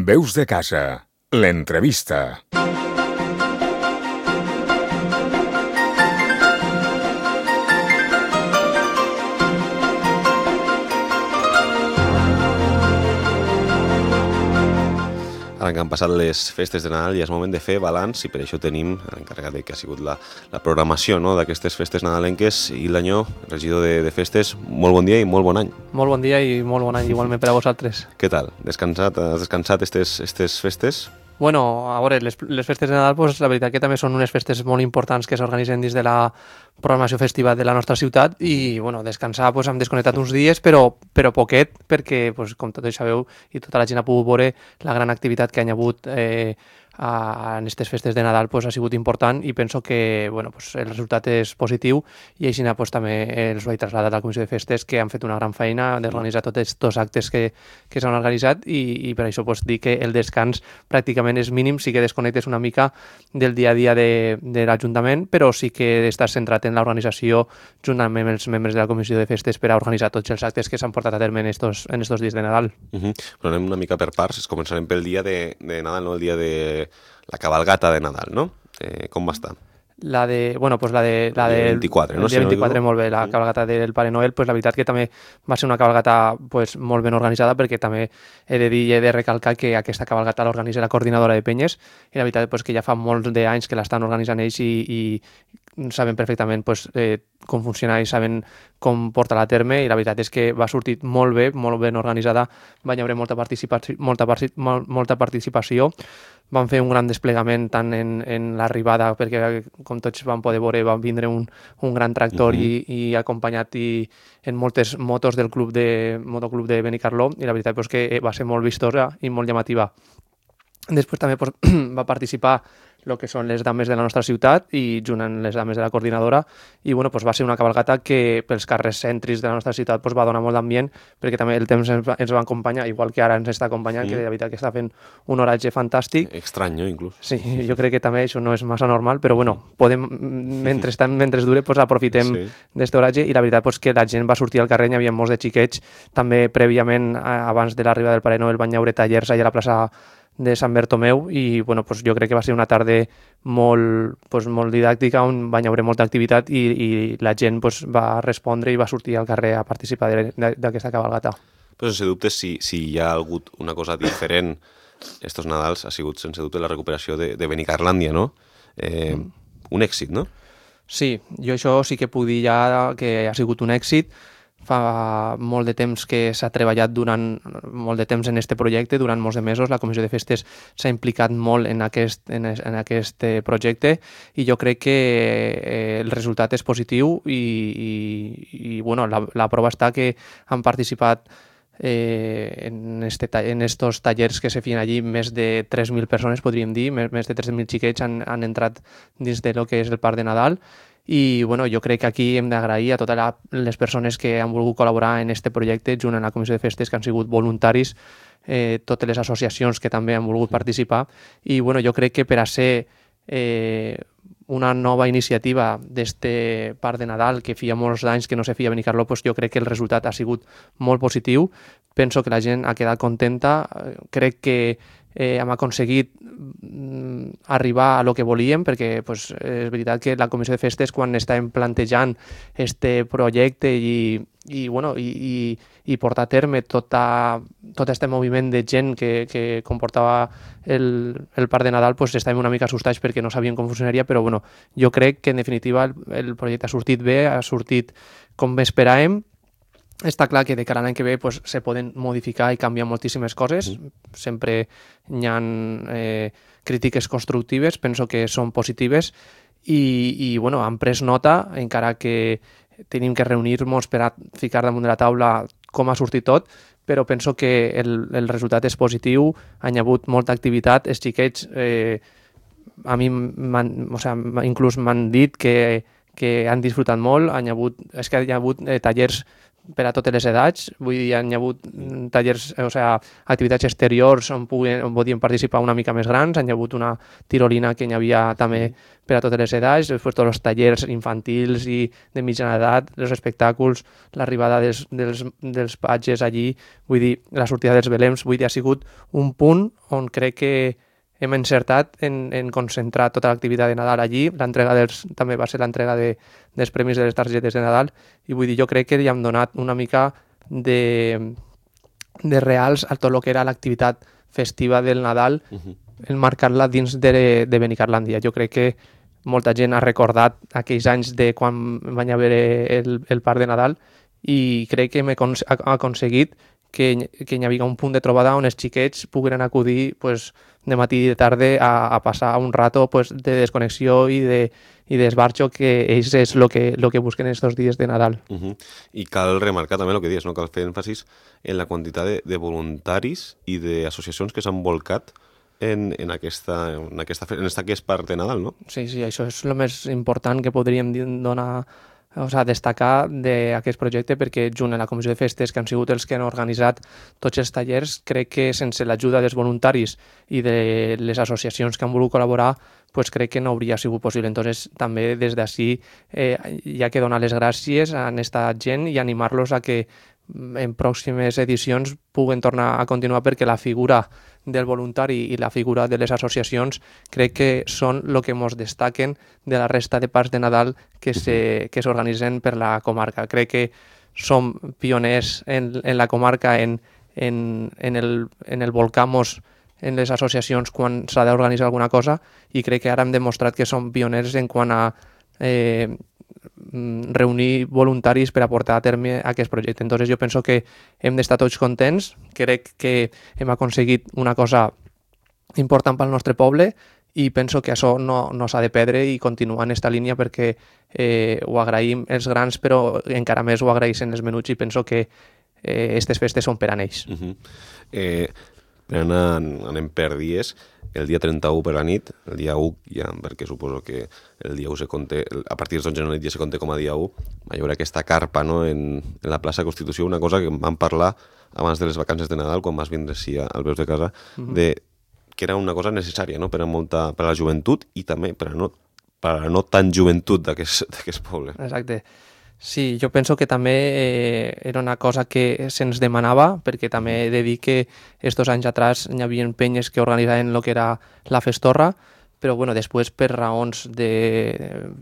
Veus de casa, l'entrevista. Ara que han passat les festes de Nadal ja és moment de fer balanç i per això tenim l'encarregat que ha sigut la programació, no?, d'aquestes festes nadalenques. I l'Anyó, regidor de festes, molt bon dia i molt bon any. Molt bon dia i molt bon any igualment per a vosaltres. Què tal? Has descansat estes festes? Bueno, a veure, les festes de Nadal, pues, la veritat que també són unes festes molt importants que s'organitzen dins de la programació festiva de la nostra ciutat i, bueno, descansar, pues, hem desconnectat uns dies, però poquet, perquè, pues, com tots sabeu, i tota la gent ha pogut veure la gran activitat que hi ha hagut en aquestes festes de Nadal, pues, ha sigut important i penso que, bueno, pues, el resultat és positiu i així pues, també els ho he traslladat a la Comissió de Festes, que han fet una gran feina d'organitzar tots aquests actes que s'han organitzat i per això pues, dir que el descans pràcticament és mínim, sí que desconnectes una mica del dia a dia de l'Ajuntament, però sí que estàs centrat en l'organització juntament amb els membres de la Comissió de Festes per a organitzar tots els actes que s'han portat a terme en estos dies de Nadal. Però anem una mica per parts, començarem pel dia de Nadal, no? El dia de la cabalgata de Nadal, no? Com va estar? La del 24, no? El dia 24, molt bé, la cabalgata del Pare Noel, pues la veritat que també va ser una cabalgata pues, molt ben organitzada, perquè també he de dir i he de recalcar que aquesta cabalgata l'organitza la coordinadora de penyes i la veritat pues, que ja fa molts d'anys que l'estan organitzant ells i saben perfectament pues, com funciona i saben com portar-la a terme, i la veritat és que va sortir molt bé, molt ben organitzada, va haver molta participació, van fer un gran desplegament tant en l'arribada, perquè com tots van poder veure van vindre un gran tractor i acompanyat en moltes motos del motoclub de Benicarló, i la veritat és que va ser molt vistosa i molt llamativa. Després també va participar el que són les dames de la nostra ciutat i junt amb les dames de la coordinadora, i bueno, va ser una cabalgata que pels carrers cèntrics de la nostra ciutat va donar molt d'ambient, perquè també el temps ens va acompanyar, igual que ara ens està acompanyant, que de veritat que està fent un oratge fantàstic. Estrany, no, inclús? Sí, jo crec que també això no és massa normal, però bueno, podem, mentre dure, aprofitem d'aquest oratge, i la veritat és que la gent va sortir al carrer, hi havia molts de xiquets, també prèviament, abans de l'arribada del Pare Noel, van haver tallers allà a la plaça de Sant Bertomeu, i bueno, jo crec que va ser una tarda molt didàctica, on va haver molta activitat i la gent va respondre i va sortir al carrer a participar d'aquesta cabalgata. Però sense dubte, si hi ha hagut una cosa diferent estos Nadals, ha sigut sense dubte la recuperació de Benicarlàndia, no? Un èxit, no? Sí, jo això sí que puc dir ja que ha sigut un èxit. Fa molt de temps que s'ha treballat durant molt de temps en aquest projecte, durant molts de mesos. La Comissió de Festes s'ha implicat molt en aquest projecte, i jo crec que el resultat és positiu i bueno, la prova està que han participat en estos tallers que se feien allí més de 3.000 persones, podríem dir, més de 3.000 xiquets han entrat dins de lo que és el Parc de Nadal. I bueno, jo crec que aquí hem d'agrair a totes les persones que han volgut col·laborar en aquest projecte junt amb la Comissió de Festes, que han sigut voluntaris, totes les associacions que també han volgut participar, i bueno, jo crec que per a ser una nova iniciativa d'este Parc de Nadal, que feia molts anys que no se feia a Benicarló, jo crec que el resultat ha sigut molt positiu. Penso que la gent ha quedat contenta, crec que hem aconseguit arribar a lo que volíem, perquè és veritat que la Comissió de Festes, quan estàvem plantejant este projecte i portar a terme tot aquest moviment de gent que comportava el Parc de Nadal, estàvem una mica assustats perquè no sabíem com funcionaria, però bueno, jo crec que en definitiva el projecte ha sortit bé, ha sortit com esperàvem. Està clar que de cara a l'any que ve se poden modificar i canviar moltíssimes coses. Sempre hi ha crítiques constructives, penso que són positives, i bueno, han pres nota, encara que tenim que reunir-nos per a ficar damunt de la taula com ha sortit tot, però penso que el resultat és positiu, han hagut molta activitat, els xiquets a mi inclús m'han dit que han disfrutat molt, hi ha hagut tallers per a totes les edats, vull dir, hi ha hagut tallers, o sigui, activitats exteriors on podien participar una mica més grans, hi ha hagut una tirolina que hi havia també per a totes les edats, després tots els tallers infantils i de mitjana edat, els espectacles, l'arribada dels patges allí, vull dir, la sortida dels belems, vull dir, ha sigut un punt on crec que hem encertat en concentrar tota l'activitat de Nadal allí. L'entrega també va ser l'entrega dels premis de les targetes de Nadal i vull dir, jo crec que li hem donat una mica de reals a tot el que era l'activitat festiva del Nadal, enmarcar-la dins de Benicarlàndia. Jo crec que molta gent ha recordat aquells anys de quan van haver el parc de Nadal i crec que hem aconseguit que hi havia un punt de trobada on els xiquets pogueren acudir pues, de matí i de tarda a passar un rato pues, de desconnexió i d'esbarxo, que ells és el que busquen aquests dies de Nadal. I cal remarcar també el que dius, no? Cal fer èmfasis en la quantitat de voluntaris i d'associacions que s'han volcat en aquest parc de Nadal, no? Sí, això és el més important que podríem donar, o sigui, destacar d'aquest projecte, perquè junt a la Comissió de Festes, que han sigut els que han organitzat tots els tallers, crec que sense l'ajuda dels voluntaris i de les associacions que han volgut col·laborar, pues crec que no hauria sigut possible. Entonces, també des d'ací hi ha que donar les gràcies a aquesta gent i animar-los a que en pròximes edicions puguen tornar a continuar, perquè la figura del voluntari i la figura de les associacions crec que són el que ens destaquen de la resta de parcs de Nadal que s'organitzen per la comarca. Crec que som pioners en la comarca en el volcar-nos en les associacions quan s'ha d'organitzar alguna cosa, i crec que ara hem demostrat que som pioners en quant a reunir voluntaris per a portar a terme aquest projecte. Entonces jo penso que hem d'estar tots contents, crec que hem aconseguit una cosa important pel nostre poble i penso que això no s'ha de perdre i continuar en aquesta línia, perquè ho agraïm els grans, però encara més ho agraeixen els menuts, i penso que aquestes festes són per a ells. Anem per dies. El dia 31 per la nit, el dia 1 ja, perquè suposo que el dia 1 se compte, a partir del 11 de la nit ja se compte com a dia 1, hi haurà aquesta carpa, no, en la plaça Constitució, una cosa que vam parlar abans de les vacances de Nadal, quan vas vindre així al Veus de Casa, que era una cosa necessària, no?, per a la joventut i també per a la no tan joventut d'aquest poble. Exacte. Sí, jo penso que també era una cosa que se'ns demanava, perquè també he de dir que estos anys atrás hi havia penyes que organitzaven el que era la festorra, però bueno, després per raons de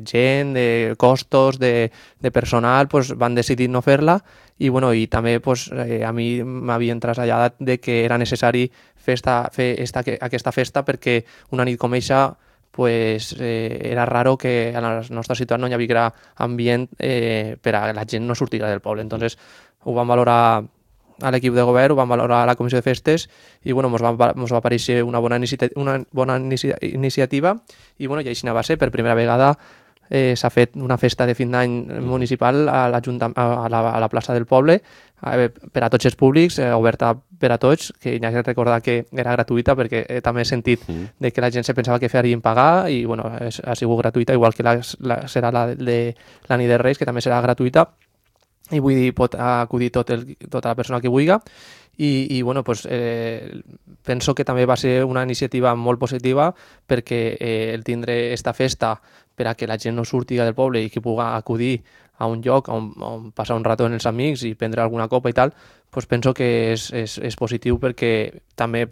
gent, de costos, de personal, van decidir no fer-la, i bueno, i també a mi m'havien traslladat de que era necessari fer aquesta festa, perquè una nit com eixa era raro que a la nostra ciutat no hi haguera ambient per a la gent no sortira del poble. Entonces ho vam valorar a l'equip de govern, ho vam valorar a la Comissió de Festes, i bueno, mos va aparèixer una bona iniciativa, i bueno, i així va ser. Per primera vegada s'ha fet una festa de fin d'any municipal a la plaça del poble, per a tots els públics, oberta per a tots, que hi ha que recordar que era gratuïta, perquè també he sentit de que la gent se pensava que farien pagar, i bueno, ha sigut gratuïta, igual que serà la de la nit de Reis, que també serà gratuïta, i vull dir, pot acudir tota la persona que vulgui, i bueno, penso que també va ser una iniciativa molt positiva, perquè el tindre aquesta festa per a que la gent no surti del poble i que pugui acudir a un lloc on passar un rato amb els amics i prendre alguna copa i tal, penso que és positiu, perquè també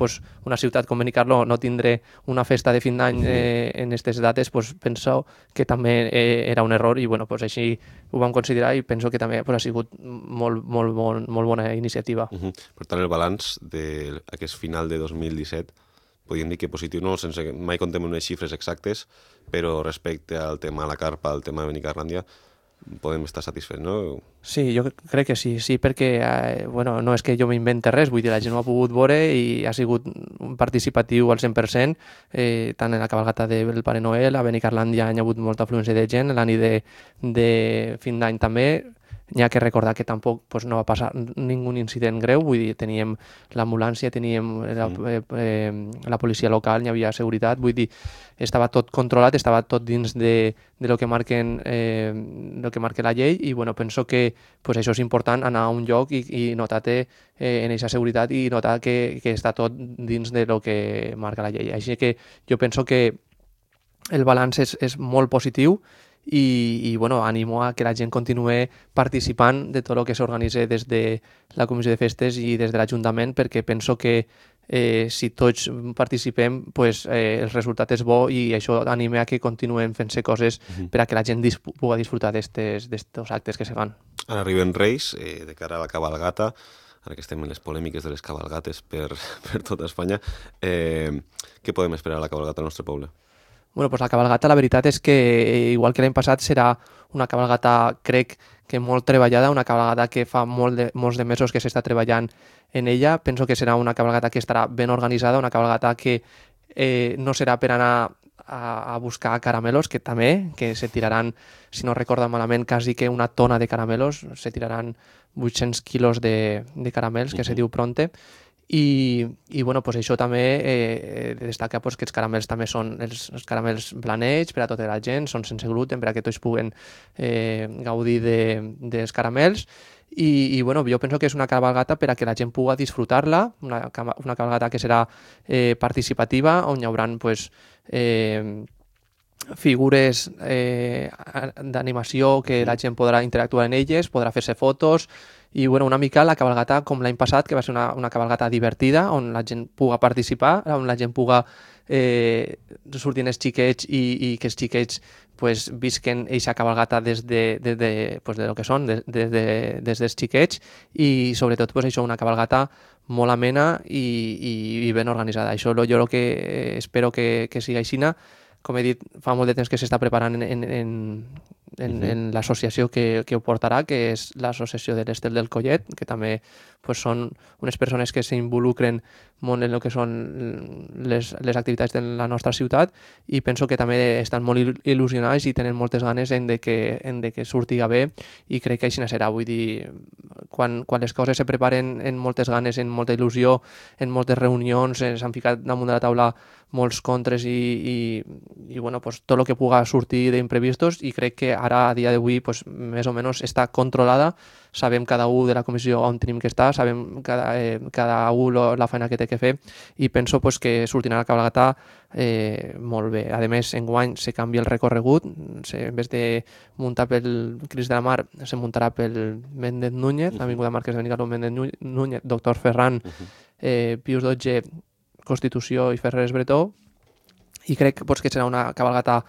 una ciutat com Benicarló no tindre una festa de fin d'any en aquestes dates, penso que també era un error, i bueno, així ho vam considerar, i penso que també ha sigut molt bona iniciativa. Per tant, el balanç d'aquest final de 2017 podríem dir que positiu, no? Sense que mai contem unes xifres exactes, però respecte al tema de la carpa, al tema de Benicarlàndia, podem estar satisfets, no? Sí, jo crec que sí, perquè no és que jo m'invente res, vull dir, la gent ho ha pogut veure i ha sigut participatiu al 100%, tant en la cabalgata del Pare Noel, a Benicarlàndia hi ha hagut molta afluència de gent, la nit de fin d'any també, N'hi ha que recordar que tampoc pues, no va passar ningú incident greu, vull dir, teníem l'ambulància, teníem la policia local, n'hi havia seguretat, vull dir, estava tot controlat, estava tot dins de lo que marquen lo que marca la llei i bueno, penso que pues, això és important, anar a un lloc i notar-te en aquesta seguretat i notar que està tot dins de lo que marca la llei. Així que jo penso que el balanç és molt positiu i bueno, animo a que la gent continuï participant de tot el que s'organitza des de la Comissió de Festes i des de l'Ajuntament, perquè penso que si tots participem, pues, el resultat és bo i això anima a que continuem fent-se coses per a que la gent pugui disfrutar d'estos actes que se fan. Ara arriben Reis, de cara a la cabalgata, ara que estem en les polèmiques de les cabalgates per tota Espanya, què podem esperar a la cabalgata al nostre poble? Bueno, pues la cabalgata, la veritat és que, igual que l'any passat, serà una cabalgata, crec que molt treballada, una cabalgata que fa molts de mesos que s'està treballant en ella. Penso que serà una cabalgata que estarà ben organitzada, una cabalgata que no serà per anar a buscar caramelos, que també, que se tiraran, si no recordo malament, quasi que una tona de caramelos, se tiraran 800 quilos de caramels, que se diu pronte, i bueno, pues això també destaca pues, que els caramels també són els caramels blanets per a tota la gent, són sense gluten per a que tots puguen gaudir dels caramels i bueno, jo penso que és una cabalgata per a que la gent pugui disfrutar-la, una cabalgata que serà participativa, on hi haurà pues, figures d'animació que la gent podrà interactuar en elles, podrà fer-se fotos i bueno, una mica la cabalgata com l'any passat, que va ser una cabalgata divertida, on la gent puga participar, on la gent puga sortir els xiquets i que els xiquets pues, visquen aquesta cabalgata des de lo que són, des dels xiquets i sobretot pues, això, una cabalgata molt amena i ben organitzada. Això jo el que espero que sigui aixina. Com he dit, fa molt de temps que s'està preparant en l'associació que ho portarà, que és l'associació de l'Estel del Collet, que també pues, són unes persones que s'involucren molt en el que són les activitats de la nostra ciutat i penso que també estan molt il·lusionats i tenen moltes ganes en de que surtiga bé i crec que així serà. Vull dir, quan les coses se preparen en moltes ganes, en molta il·lusió, en moltes reunions, s'han ficat damunt de la taula molts contres i bueno, pues, tot el que puga sortir d'imprevistos i crec que ara, a dia d'avui, pues, més o menys està controlada. Sabem cada un de la comissió on tenim que estar, sabem cada un la feina que té que fer i penso pues, que sortirà la cabalgata molt bé. A més, enguany se canvia el recorregut, en vez de muntar pel Crist de la Mar, se muntarà pel Méndez Núñez, l'Avinguda Marquès de Benicarló, Méndez Núñez, Doctor Ferran, Pius XII, Constitució i Ferrers Bretó, i crec pues, que serà una cabalgata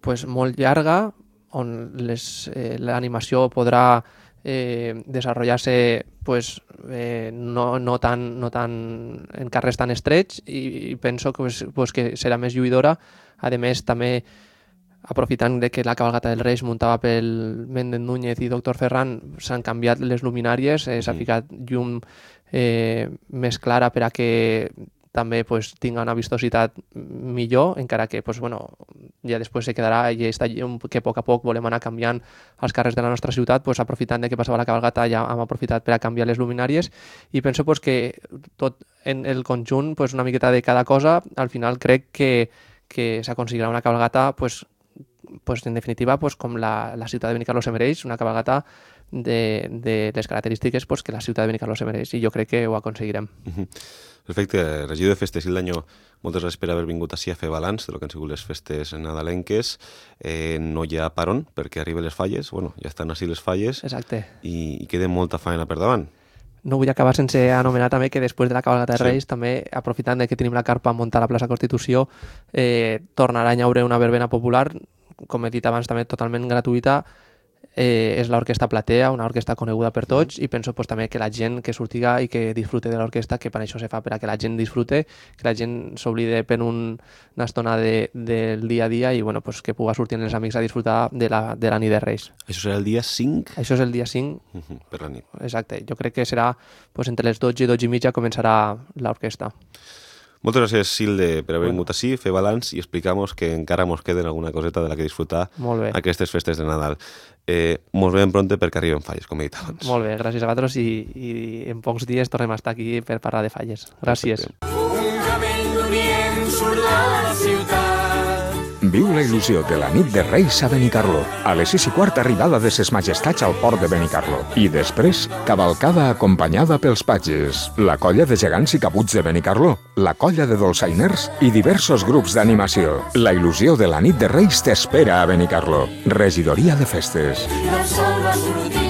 pues, molt llarga, on l'animació podrà desenvolupar-se pues, no tan en carrers tan estrets i penso que, pues, que serà més lluïdora. A més, també aprofitant de que la cabalgata dels Reis muntava pel Méndez Núñez i Doctor Ferran, s'han canviat les luminàries, s'ha ficat llum més clara per a que també pues, tinga una vistositat millor, encara que pues, bueno, ja després se quedarà i està llum que a poc volem anar canviant els carrers de la nostra ciutat, pues, aprofitant de que passava la cabalgata ja hem aprofitat per a canviar les luminàries i penso pues, que tot en el conjunt, pues, una miqueta de cada cosa, al final crec que s'aconseguirà una cabalgata pues, en definitiva pues, com la ciutat de Benicarló se mereix, una cabalgata de les característiques pues, que la ciutat de Benicarló se mereix i jo crec que ho aconseguirem. Perfecte. Regidor de Festes i l'any, moltes gràcies per haver vingut així a fer balanç de lo que han sigut les festes nadalenques. No hi ha paron perquè arriben les falles, bueno, ja estan així les falles. Exacte. I queda molta feina per davant. No vull acabar sense anomenar també que després de la cabalgata de Reis, també aprofitant de que tenim la carpa muntada a la plaça Constitució, tornarà a haure una verbena popular, com he dit abans també totalment gratuïta, és l'Orquestra Platea, una orquestra coneguda per tots i penso pues, també que la gent que surtiga i que disfrute de l'orquestra, que per això se fa, per a que la gent disfrute, que la gent s'oblide per una estona del dia a dia i bueno, pues, que puga sortir amb els amics a disfrutar de la nit de Reis. Això serà el dia 5? Això és el dia 5. Per la nit. Exacte. Jo crec que serà pues, entre les 12 i 12 i mitja començarà l'orquestra. Moltes gràcies, Silde, per haver vingut ací, fer balanç i explicar-nos que encara mos queden alguna coseta de la que disfrutar aquestes festes de Nadal. Mos veiem pronte perquè arriben falles, com he dit abans. Molt bé, gràcies a vosaltres i en pocs dies tornem a estar aquí per parlar de falles. Gràcies. Un camell d'Orient surt de la ciutat. Viu la il·lusió de la nit de Reis a Benicarló. A les 6:15 arribada de ses majestats al port de Benicarló. I després, cavalcada acompanyada pels patges. La colla de gegants i caputs de Benicarló. La colla de dolçainers i diversos grups d'animació. La il·lusió de la nit de Reis t'espera a Benicarló. Regidoria de Festes. I el sol va sortir